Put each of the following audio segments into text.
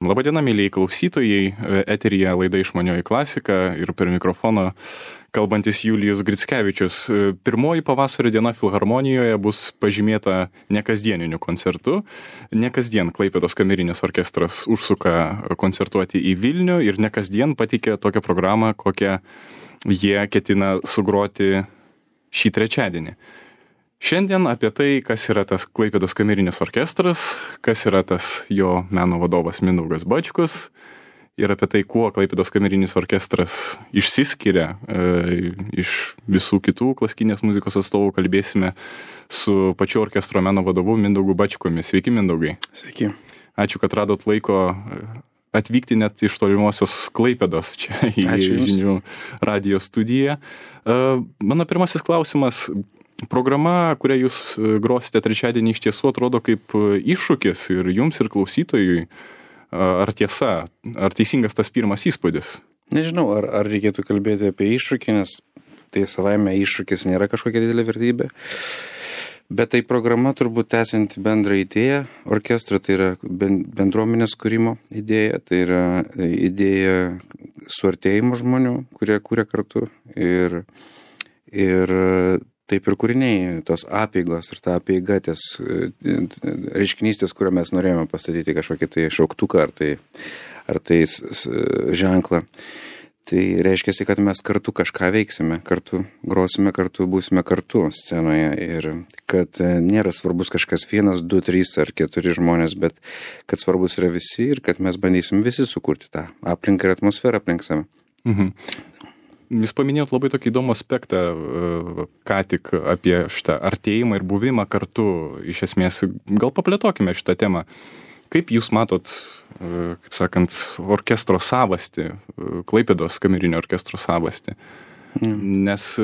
Labadiena, mėlyjei klausytojai, eteryje laida Išmanioji klasika ir per mikrofoną kalbantis Julijus Grickevičius. Pirmoji pavasario diena Filharmonijoje bus pažymėta nekasdieniniu koncertu. Nekasdien Klaipėdos kamerinis orkestras užsuka koncertuoti į Vilnių ir nekasdien pateikė tokią programą, kokią jie ketina sugroti šį trečiadienį. Šiandien apie tai, kas yra tas Klaipėdos kamerinis orkestras, kas yra tas jo meno vadovas Mindaugas Bačkus ir apie tai, kuo Klaipėdos kamerinis orkestras išsiskiria iš visų kitų klasikinės muzikos atstovų, kalbėsime su pačiu orkestro meno vadovu Mindaugu Bačkumi. Sveiki, Mindaugai. Sveiki. Ačiū, kad radot laiko atvykti net iš tolimosios Klaipėdos čia į žinių radijo studiją. Mano pirmasis klausimas. Programa, kurią jūs grosite trečiadienį, iš tiesų atrodo kaip iššūkis ir jums, ir klausytojui. Ar tiesa, ar teisingas tas pirmas įspūdis? Nežinau, ar reikėtų kalbėti apie iššūkį, nes tai savaime iššūkis nėra kažkokia didelė vertybė. Bet tai programa turbūt tęsianti bendrą idėją orkestro, tai yra bendruomenės kūrimo idėja, tai yra idėja suartėjimo žmonių, kurie kūrė kartu ir taip ir kūriniai, tos apeigos ir ta apeiga, ties reiškinystės, kurio mes norėjome pastatyti kažkokį tai šauktuką ar tai ženklą. Tai reiškia, kad mes kartu kažką veiksime, kartu grosime, kartu būsime kartu scenoje ir kad nėra svarbus kažkas 1, 2, 3 ar 4 žmonės, bet kad svarbus yra visi ir kad mes bandysim visi sukurti tą aplinką ir atmosferą aplink save. Mhm. Jūs paminėjot labai tokį įdomų aspektą, ką tik apie šitą artėjimą ir buvimą kartu. Iš esmės, gal paplėtokime šitą temą. Kaip jūs matot, kaip sakant, orkestro savastį, Klaipėdos kamerinio orkestro savastį? Nes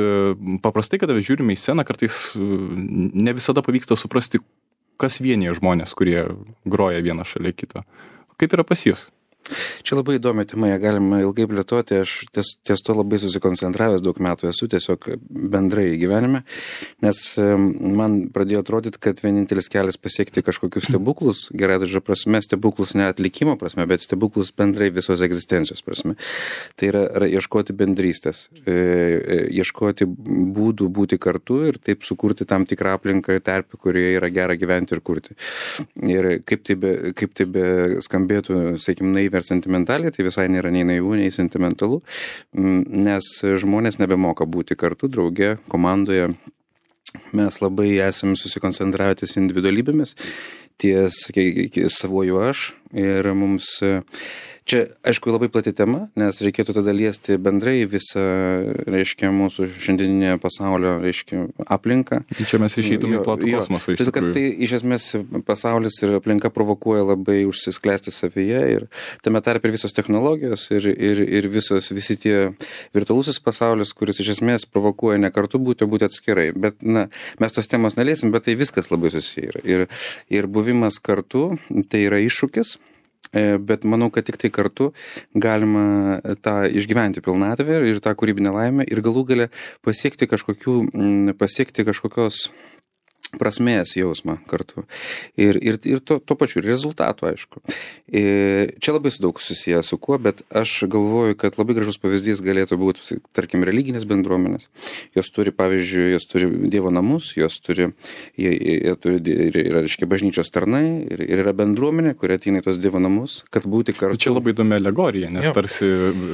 paprastai, kada žiūrime į sceną, kartais ne visada pavyksta suprasti, kas vienyje žmonės, kurie groja vieną šalia kito. Kaip yra pas jūs? Čia labai įdomi tema, ją galima ilgai plėtoti, aš ties to labai susikoncentravęs daug metų esu, tiesiog bendrai gyvenime, nes man pradėjo atrodyti, kad vienintelis kelias pasiekti kažkokius stebuklus, gerai žodžio prasme, stebuklus ne atlikimo prasme, bet stebuklus bendrai visos egzistencijos prasme. Tai yra ieškoti bendrystės, ieškoti būdų būti kartu ir taip sukurti tam tikrą aplinką terpę, kurioje yra gera gyventi ir kurti. Ir kaip tai be skambėtų, sakykim, naiviai ar sentimentaliai, tai visai nėra nei naivu, nei sentimentalu, nes žmonės nebemoka būti kartu, drauge, komandoje. Mes labai esame susikoncentravę ties individualybėmis, ties savuoju aš ir mums... Čia, aišku, labai plati tema, nes reikėtų tada liesti bendrai visą, reiškia, mūsų šiandieninę pasaulio, reiškia, aplinką. Čia mes išeitume į platų kosmosą, iš tikrųjų. Tai iš esmės pasaulis ir aplinka provokuoja labai užsisklęsti savyje ir tame tarpe ir visos technologijos ir visi tie virtualusis pasaulis, kuris iš esmės provokuoja ne kartu būti, o būti atskirai. Bet, mes tos temos neliesim, bet tai viskas labai susiję yra. Ir buvimas kartu, tai yra iššūkis. Bet manau, kad tik tai kartu galima tą išgyventi pilnatvę ir tą kūrybinę laimę ir galų gale pasiekti kažkokios prasmės jausmą kartu. Ir to pačiu rezultatų, aišku. Čia labai daug susiję su kuo, bet aš galvoju, kad labai gražus pavyzdys galėtų būti, tarkim, religinės bendruomenės. Jos turi, pavyzdžiui, Dievo namus, jie turi reiškia, bažnyčios tarnai ir yra bendruomenė, kuri ateina į tos Dievo namus, kad būti kartu. Čia labai įdomi alegorija, nes tarsi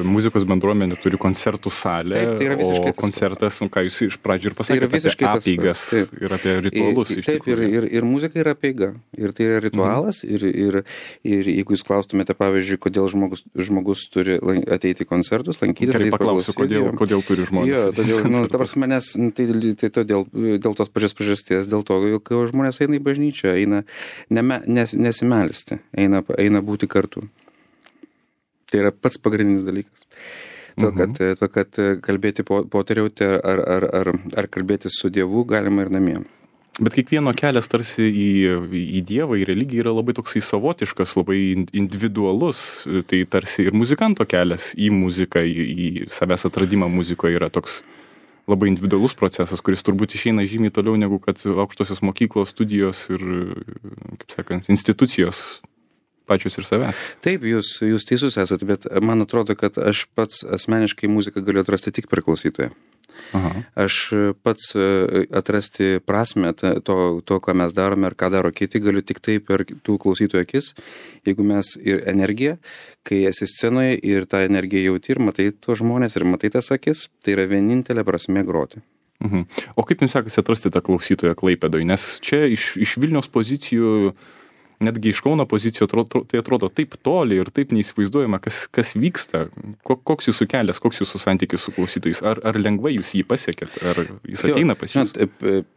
muzikos bendruomenė turi koncertų salę, taip, tai o koncertas, ką jūs iš pradžių ir pasakėte, apie apeigas ir apie ritualus. Taip, ir muzika yra apeiga. Ir tai yra ritualas. Ir jeigu jūs klaustumėte, pavyzdžiui, kodėl žmogus turi ateiti į koncertus, lankytis. Gerai, paklausiu, kodėl turi žmonės. Jo, todėl, ta prasme, nes tai todėl, dėl tos pačios priežasties, dėl to, kai žmonės eina į bažnyčią, eina nesimelsti, eina būti kartu. Tai yra pats pagrindinis dalykas. To, kad kalbėti poteriauti ar kalbėti su Dievu galima ir namie. Bet kiekvieno kelias tarsi į Dievą, į religiją yra labai toksai savotiškas, labai individualus. Tai tarsi ir muzikanto kelias į muziką, į savęs atradimą muzikoje yra toks labai individualus procesas, kuris turbūt išeina žymiai toliau negu kad aukštosios mokyklos, studijos ir, kaip sakant, institucijos pačius ir savęs. Taip, jūs teisus esate, bet man atrodo, kad aš pats asmeniškai muziką galiu atrasti tik per klausytoją. Aha. Aš pats atrasti prasme to, ką mes darome ir ką daro kiti, galiu tik tai per tų klausytojų akis, jeigu mes ir energiją, kai esi scenoje ir tą energiją jauti ir matai tuos žmonės ir matai tas akis, tai yra vienintelė prasme groti. Mhm. O kaip jums sekasi atrasti tą klausytoją Klaipėdoje? Nes čia iš Vilniaus pozicijų, netgi iš Kauno pozicijų tai atrodo taip toli ir taip neįsivaizduojama, kas vyksta. Koks jūsų kelias, koks jūsų santykis su klausytojais? Ar lengvai jūs jį pasiekėt? Ar jis ateina pas jūs?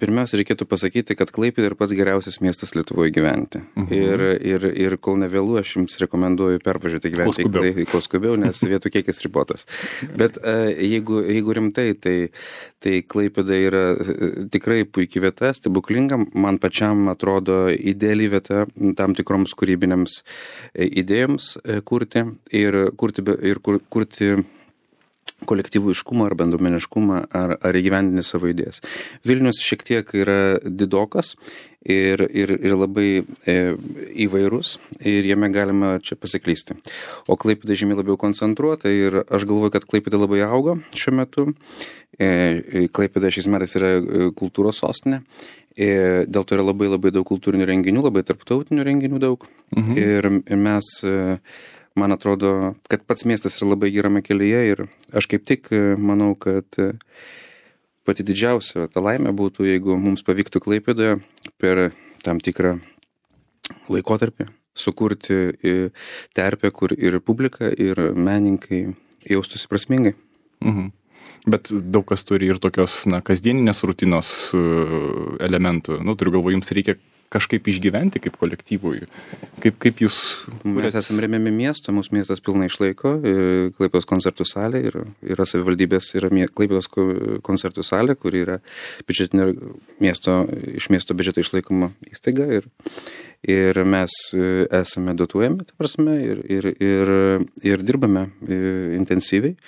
Pirmiausia, reikėtų pasakyti, kad Klaipėda yra pats geriausias miestas Lietuvoje gyventi. Ir kol nevėlu, aš jums rekomenduoju pervažiuoti gyventi kuo skubiau, nes vietų kiekis ribotas. Bet jeigu rimtai, tai Klaipėda yra tikrai puikiai vieta, stebuklinga. Man pačiam atrodo ideali vieta tam tikroms kūrybinėms idėjoms kurti ir kurti kolektyviškumą ar bendruomeniškumą ar įgyvendinti savo idėjas. Vilnius šiek tiek yra didokas ir labai įvairus ir jame galima čia pasiklysti. O Klaipėda žymiai labiau koncentruota ir aš galvoju, kad Klaipėda labai auga šiuo metu. Klaipėda šiais metais yra kultūros sostinė. Dėl to yra labai daug kultūrinių renginių, labai tarptautinių renginių daug. Ir mes, man atrodo, kad pats miestas yra labai gerame kelyje ir aš kaip tik manau, kad pati didžiausia ta laimė būtų, jeigu mums pavyktų Klaipėdoje per tam tikrą laikotarpį sukurti terpę, kur ir publika, ir menininkai jaustųsi prasmingai. Mhm. Bet daug kas turi ir tokios, kasdieninės rutinos elementų. Turiu galvoje, jums reikia kažkaip išgyventi kaip kolektyvui. Kaip jūs... Mes esame remiami miesto, mūsų miestas pilnai išlaiko, Klaipėdos koncertų salė, yra savivaldybės, yra Klaipėdos koncertų salė, kur yra iš miesto biudžeto išlaikoma įstaiga ir mes esame dotuojami, ta prasme, ir dirbame intensyviai.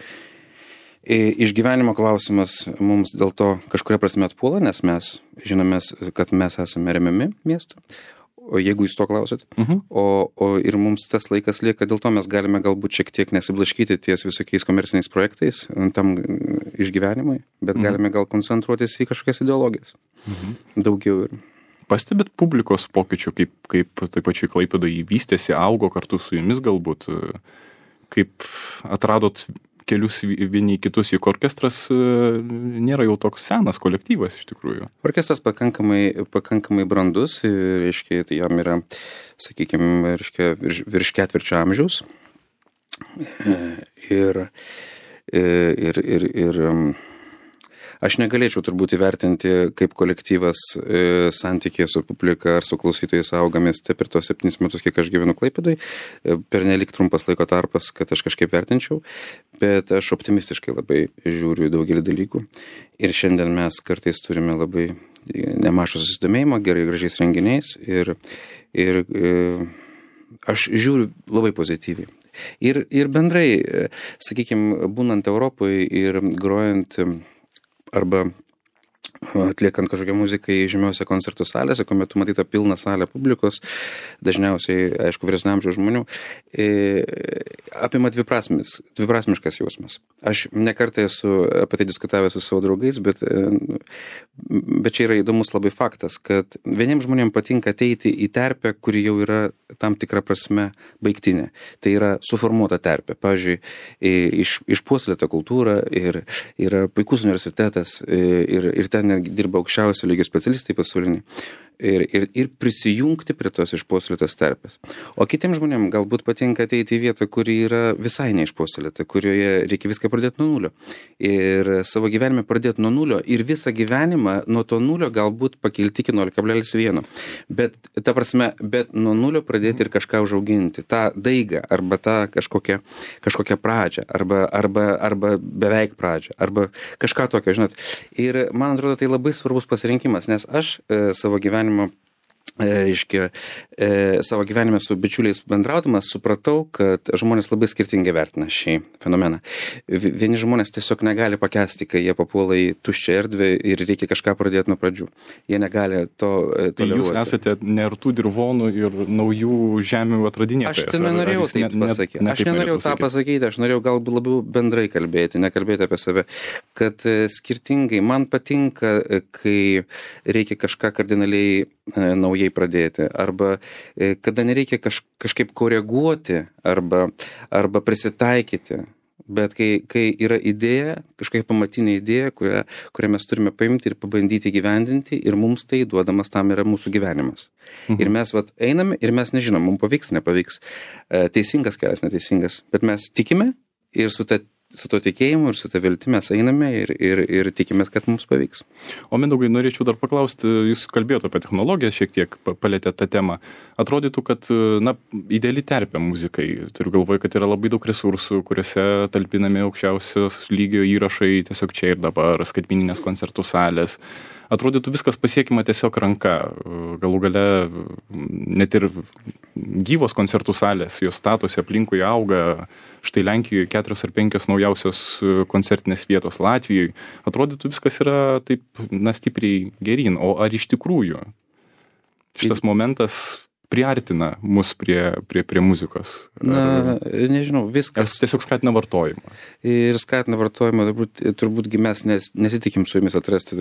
Išgyvenimo klausimas mums dėl to kažkuria prasme atpuola, nes mes žinome, kad mes esame remiami miestų, jeigu jūs to klausot. O ir mums tas laikas lieka, dėl to mes galime galbūt šiek tiek nesiblaškyti ties visokiais komerciniais projektais tam išgyvenimui, bet galime gal koncentruotis į kažkokias ideologijas. Daugiau ir. Pastebit publikos pokyčių, kaip taip pačiai Klaipėdoje vystėsi, augo kartu su jumis galbūt, kaip atradot kelius vieni kitus, juk orkestras nėra jau toks senas kolektyvas iš tikrųjų. Orkestras pakankamai brandus, reiškia, tai jam yra, sakykime, virš 4 amžiaus. Ir aš negalėčiau turbūt įvertinti, kaip kolektyvas santykėje su publika ar su klausytojais auga mieste per tos 7 metus, kiek aš gyvenu Klaipėdoje. Pernelyg trumpas laiko tarpas, kad aš kažkaip vertinčiau, bet aš optimistiškai labai žiūriu daugelį dalykų. Ir šiandien mes kartais turime labai nemažą susidomėjimą, gražiais renginiais ir aš žiūriu labai pozityviai. Ir bendrai, sakykime, būnant Europoje ir grojant arba atliekant kažkokią muziką į žymiuose koncertų salėse, kuomet tu matyta pilną salę publikos, dažniausiai, aišku, vyresnio amžiaus žmonių, apima dviprasmiškas jausmas. Aš nekartą esu apie tai diskutavęs su savo draugais, bet čia yra įdomus labai faktas, kad vieniems žmonėms patinka ateiti į terpę, kuri jau yra tam tikrą prasme baigtinė. Tai yra suformuota terpė. Pavyzdžiui, išpuoselėta kultūra ir yra puikus universitetas ir ten dirba aukščiausio lygio specialistai pasauliniai. Ir prisijungti prie tos išpuoselėtos terpės. O kitiems žmonėms galbūt patinka ateiti į vietą, kuri yra visai neišpuoselėta, kurioje reikia viską pradėti nuo nulio. Ir savo gyvenime pradėti nuo nulio ir visą gyvenimą nuo to nulio galbūt pakilti iki 0,1. Bet nuo nulio pradėti ir kažką užauginti. Ta daiga arba tą kažkokią pradžią arba beveik pradžią arba kažką tokio, žinot. Ir man atrodo, tai labai svarbus pasirinkimas, nes aš savo gyvenimo reiškia, savo gyvenime su bičiuliais bendraudamas, supratau, kad žmonės labai skirtingai vertina šį fenomeną. Vieni žmonės tiesiog negali pakęsti, kai jie papuola į tuščią erdvę ir reikia kažką pradėti nuo pradžių. Jie negali to toleruoti. Jūs esate nertų dirvonų ir naujų žemių atradinėtojas. Aš tai nenorėjau taip pasakyti. Aš nenorėjau tą pasakyti, aš norėjau galbūt labiau bendrai kalbėti, nekalbėti apie save. Kad skirtingai, man patinka, kai reikia kažką kardinaliai naujai pradėti, arba kada nereikia kažkaip koreguoti arba prisitaikyti, bet kai yra idėja, kažkokia pamatinė idėja, kurią mes turime paimti ir pabandyti gyvendinti ir mums tai duodamas tam yra mūsų gyvenimas. Ir mes einame ir mes nežinom, mums pavyks, nepavyks, teisingas kelias, neteisingas, bet mes tikime ir su to tikėjimu ir su ta viltimi mes einame ir tikimės, kad mums pavyks. O Mindaugai, norėčiau dar paklausti, jūs kalbėjote apie technologiją, šiek tiek palėtėte tą temą. Atrodytų, kad ideali terpė muzikai. Turiu galvoje, kad yra labai daug resursų, kuriuose talpinami aukščiausios lygio įrašai tiesiog čia ir dabar, skaitmeninės koncertų salės. Atrodytų viskas pasiekima tiesiog ranka. Galų gale net ir gyvos koncertų salės, jos statosi aplinkui auga. Štai Lenkijoje 4 ar 5 naujausios koncertinės vietos, Latvijoje. Atrodytų viskas yra taip, stipriai geryn. O ar iš tikrųjų šitas momentas priartina mus prie muzikos? Nežinau, viskas. Ar tiesiog skatina vartojimą? Ir skatina vartojimą, turbūtgi mes nesitikim su jumis atrasti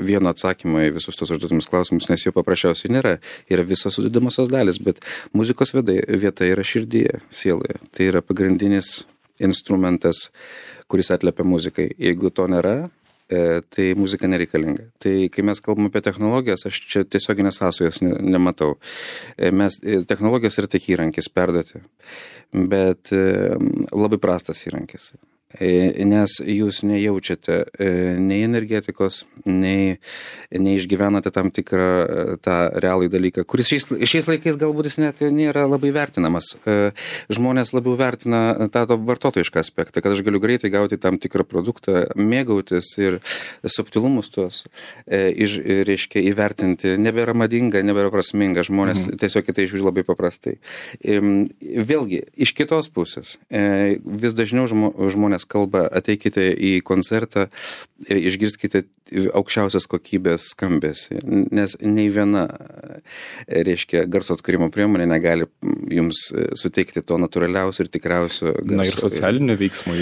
vieno atsakymą į visus tos užduotumus klausimus, nes jo paprasčiausiai nėra. Yra visos sudedamosios dalis, bet muzikos vieta yra širdyje, sieloje. Tai yra pagrindinis instrumentas, kuris atliepia muzikai. Jeigu to nėra, tai muzika nereikalinga. Tai kai mes kalbame apie technologijas, aš čia tiesioginės sąsajos nematau. Technologijos yra tik įrankis perduoti, bet labai prastas įrankis. Nes jūs nejaučiate nei energetikos, nei išgyvenate tam tikrą tą realų dalyką, kuris šiais laikais galbūt jis net nėra labai vertinamas. Žmonės labiau vertina tą vartotojišką aspektą, kad aš galiu greitai gauti tam tikrą produktą, mėgautis ir subtilumus tuos, reiškia, įvertinti. Nebėra madinga, nebėra prasminga, žmonės tiesiog į tai žiūri labai paprastai. Vėlgi, iš kitos pusės, vis dažniau žmonės kalba, ateikite į koncertą ir išgirskite aukščiausios kokybės skambesį, nes nei viena, reiškia, garso atkūrimo priemonė negali jums suteikti to natūraliausio ir tikriausio garso. Na ir socialinio veiksmo,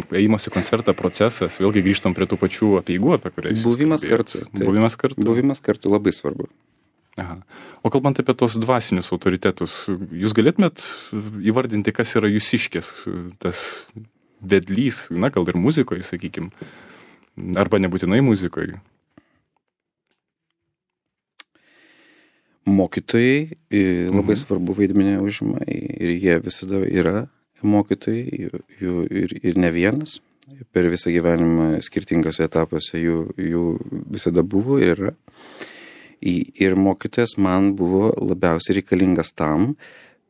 ėjimas į koncertą procesas, vėlgi grįžtam prie tų pačių apeigų, apie kuriais Buvimas kartu. Buvimas kartu labai svarbu. Aha. O kalbant apie tos dvasinius autoritetus, jūs galėtumėt įvardinti, kas yra jūsiškės, tas vedlys, gal ir muzikoje, sakykim, arba nebūtinai muzikoje? Mokytojai labai svarbu vaidmenį užima ir jie visada yra mokytojai, jų ir ne vienas. Per visą gyvenimą skirtingose etapuose jų visada buvo ir yra. Ir mokytojas man buvo labiausiai reikalingas tam,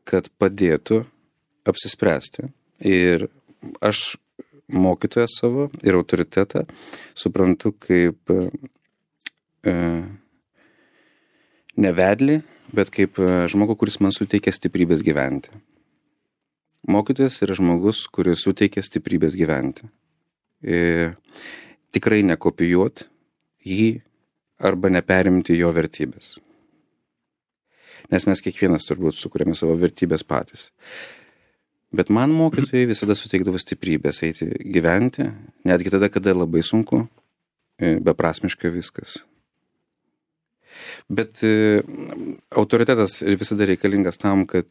kad padėtų apsispręsti. Ir aš mokytoją savo ir autoritetą suprantu kaip ne vedlį, bet kaip žmogų, kuris man suteikia stiprybės gyventi. Mokytojas yra žmogus, kuris suteikia stiprybės gyventi. Tikrai nekopijuot jį arba neperimti jo vertybės. Nes mes kiekvienas turbūt sukūrėme savo vertybės patys. Bet man mokytojai visada suteikdavo stiprybės eiti gyventi, netgi tada, kada labai sunku, beprasmiška viskas. Bet autoritetas visada reikalingas tam, kad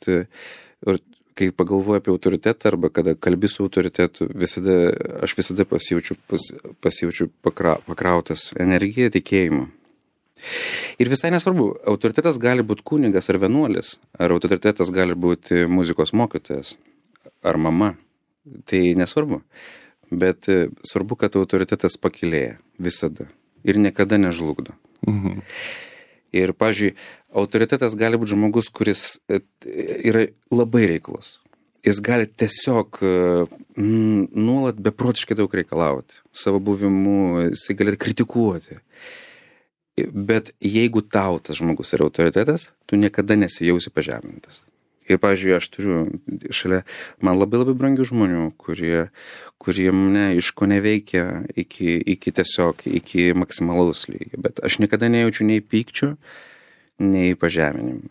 kai pagalvoju apie autoritetą arba kada kalbi su autoritetu, aš visada pasijaučiu pakrautas energiją, tikėjimu. Ir visai nesvarbu, autoritetas gali būti kunigas ar vienuolis, ar autoritetas gali būti muzikos mokytojas ar mama, tai nesvarbu. Bet svarbu, kad autoritetas pakilėja visada ir niekada nežlugdo. Ir, pavyzdžiui, autoritetas gali būti žmogus, kuris yra labai reiklus. Jis gali tiesiog nuolat beprotiškai daug reikalauti. Savo buvimu jis gali kritikuoti. Bet jeigu tau tas žmogus yra autoritetas, tu niekada nesijausi pažemintas. Ir, pavyzdžiui, aš turiu šalia man labai brangių žmonių, kurie mane iškoneveikia iki maksimalaus lygio. Bet aš niekada nejaučiu nei pykčio, nei pažeminimų.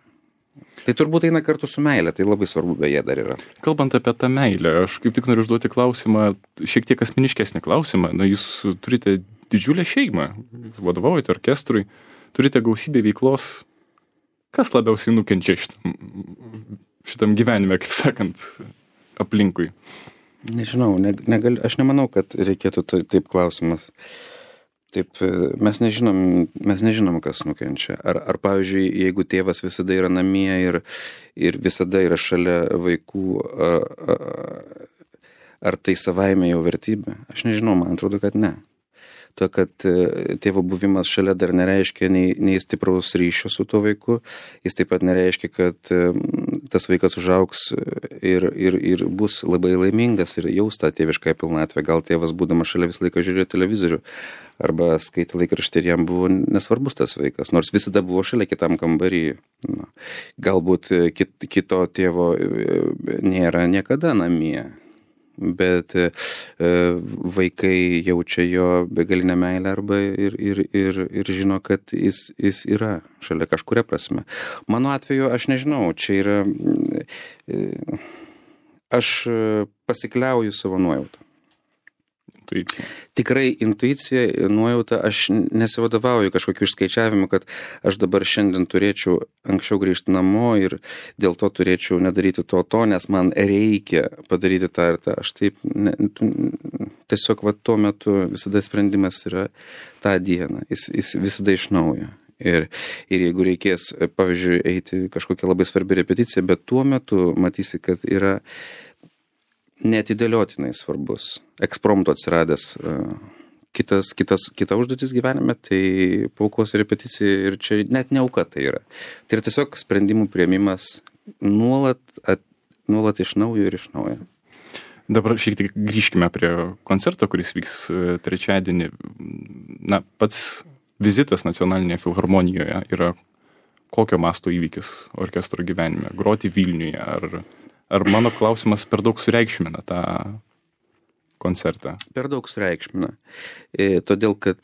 Tai turbūt eina kartu su meilė, tai labai svarbu beje dar yra. Kalbant apie tą meilę, aš kaip tik noriu užduoti klausimą, šiek tiek asmeniškesnį klausimą. Na, jūs turite didžiulę šeimą, vadovaujate orkestrui, turite gausybę veiklos. Kas labiausiai nukenčia šitam gyvenime, kaip sakant, aplinkui? Nežinau, aš nemanau, kad reikėtų taip klausimas. Taip, mes nežinom, kas nukenčia. Ar pavyzdžiui, jeigu tėvas visada yra namie ir visada yra šalia vaikų, ar tai savaime jau vertybė? Aš nežinau, man atrodo, kad ne. To, kad tėvo buvimas šalia dar nereiškia nei stipraus ryšio su tuo vaiku, jis taip pat nereiškia, kad tas vaikas užaugs ir bus labai laimingas ir jaus tą tėvišką pilnatvę. Gal tėvas, būdamas šalia, visą laiką žiūrėjo televizorių arba skaitė laikraštį ir jam buvo nesvarbus tas vaikas, nors visada buvo šalia kitam kambarį. Galbūt kito tėvo nėra niekada namie. Bet vaikai jaučia jo begalinę meilę arba ir žino, kad jis yra šalia kažkuria prasme. Mano atveju aš nežinau, čia yra, aš pasikliauju savo nuojautą. Intuicija. Tikrai intuicija, nuojauta, aš nesivadovauju kažkokiu išskaičiavimu, kad aš dabar šiandien turėčiau anksčiau grįžti namo ir dėl to turėčiau nedaryti to, nes man reikia padaryti tą ir tą. Aš taip, tiesiog tuo metu visada sprendimas yra tą dieną, jis visada iš naujo. Ir jeigu reikės, pavyzdžiui, eiti kažkokią labai svarbią repeticiją, bet tuo metu matysi, kad yra neatidėliotinai svarbus, ekspromto atsiradęs kita užduotis gyvenime, tai paaukos repeticija ir čia net ne auka tai yra. Tai yra tiesiog sprendimų priėmimas nuolat iš naujo ir iš naujo. Dabar šiek tiek grįžkime prie koncerto, kuris vyks trečiadienį. Na, pats vizitas Nacionalinėje filharmonijoje yra kokio masto įvykis orkestro gyvenime? Groti Vilniuje ar mano klausimas per daug sureikšmina tą koncertą? Per daug sureikšmina. Todėl, kad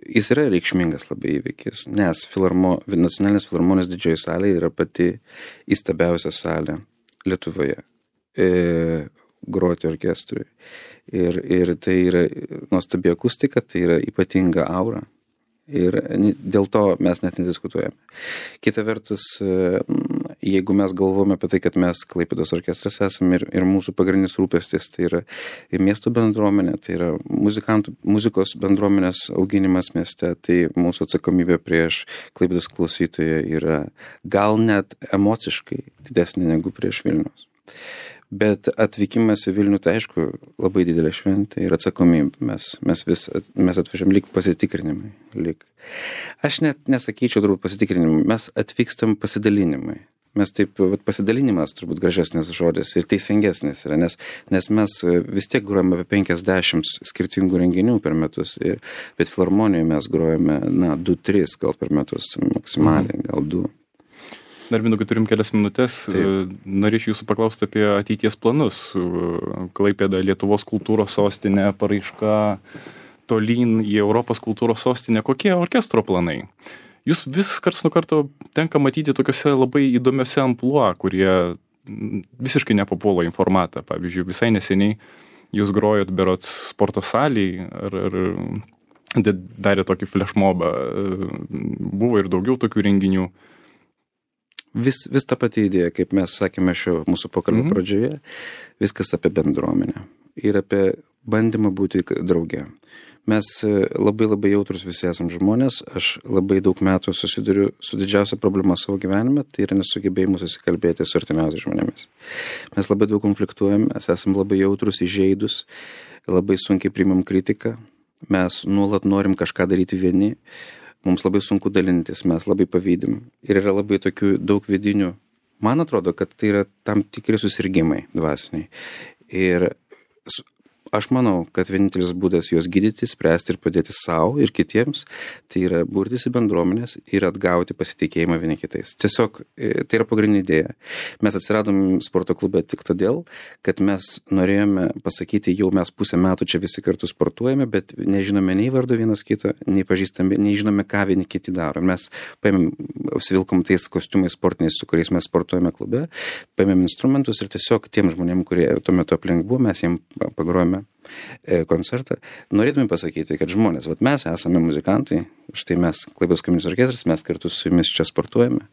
jis yra reikšmingas labai įvykis, nes Nacionalinės filharmonijos didžioji salė yra pati įstabiausia salė Lietuvoje groti orkestrui. Ir tai yra nuostabi akustika, tai yra ypatinga aura. Ir dėl to mes net nediskutuojame. Kita vertus, jeigu mes galvojame apie tai, kad mes Klaipėdos orkestras esame ir mūsų pagrindinis rūpestis, tai yra miesto bendruomenė, tai yra muzikos bendruomenės auginimas mieste, tai mūsų atsakomybė prieš Klaipėdos klausytoją yra gal net emociškai didesnė negu prieš Vilniaus. Bet atvykimas į Vilnių, tai aišku, labai didelė šventė ir atsakomybė. Mes atvežėm lyg pasitikrinimai. Aš net nesakyčiau turbūt pasitikrinimai, mes atvykstam pasidalinimai. Mes taip, pasidalinimas turbūt gražesnis žodis ir teisingesnis yra, nes mes vis tiek grojame apie 50 skirtingų renginių per metus, bet filharmonijoje mes grojame 2-3 gal per metus, maksimaliai, gal 2. Dar minutę, turim kelias minutės. Norėčiau jūsų paklausti apie ateities planus. Klaipėda, Lietuvos kultūros sostinė, paraiška tolyn į Europos kultūros sostinę. Kokie orkestro planai? Jūs vis karts nuo karto tenka matyti tokiuose labai įdomiuose amplua, kurie visiškai nepapuola į formatą. Pavyzdžiui, visai neseniai jūs grojot berods sporto salėj ar darė tokį flashmobą. Buvo ir daugiau tokių renginių. Vis ta pati idėja, kaip mes sakėme šio mūsų pokalbio pradžioje, viskas apie bendruomenę ir apie bandymą būti drauge. Mes labai jautrus visi esam žmonės, aš labai daug metų susiduriu su didžiausia problema savo gyvenime, tai yra nesugebėjimas susikalbėti su artimiausiais žmonėmis. Mes labai daug konfliktuojam, mes esam labai jautrus, įžeidus, labai sunkiai priimam kritiką, mes nuolat norim kažką daryti vieni. Mums labai sunku dalintis, mes labai pavydim. Ir yra labai tokių daug vidinių. Man atrodo, kad tai yra tam tikri susirgimai dvasiniai. Ir Aš manau, kad vienintelis būdas juos gydyti, spręsti ir padėti savo ir kitiems, tai yra burtis į bendruomenės ir atgauti pasitikėjimą vieni kitais. Tiesiog tai yra pagrindinė idėja. Mes atsiradom sporto klube tik todėl, kad mes norėjome pasakyti, jau mes pusę metų čia visi kartu sportuojame, bet nežinome nei vardo vienas kito, nei pažįstame, nei žinome, ką vieni kiti daro. Mes paėmėm, apsivilkom tais kostiumais sportiniais, su kuriais mes sportuojame klube, paėmėm instrumentus ir tiesiog tiem žmonėm, kurie tuo metu aplink buvo, mes jiems pagrojame koncertą. Norėtume pasakyti, kad žmonės, mes esame muzikantai, štai mes, Klaipėdos kamerinis orkestras, mes kartu su jumis čia sportuojame,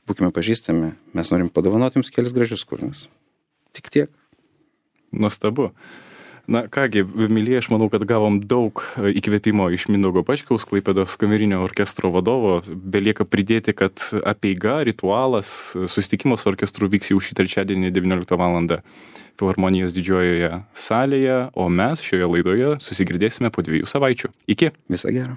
būkime pažįstami, mes norim padovanoti jums kelis gražius kūrinius. Tik tiek. Nuostabu. Na kągi, mylėjai, aš manau, kad gavom daug įkvėpimo iš Mindaugo Pačkaus, Klaipėdos kamerinio orkestro vadovo. Belieka pridėti, kad apeiga, ritualas, susitikimas su orkestru vyks jau šį trečiadienį 19 val. Filharmonijos didžiojoje salėje, o mes šioje laidoje susigirdėsime po 2 savaičių. Iki. Viso gero.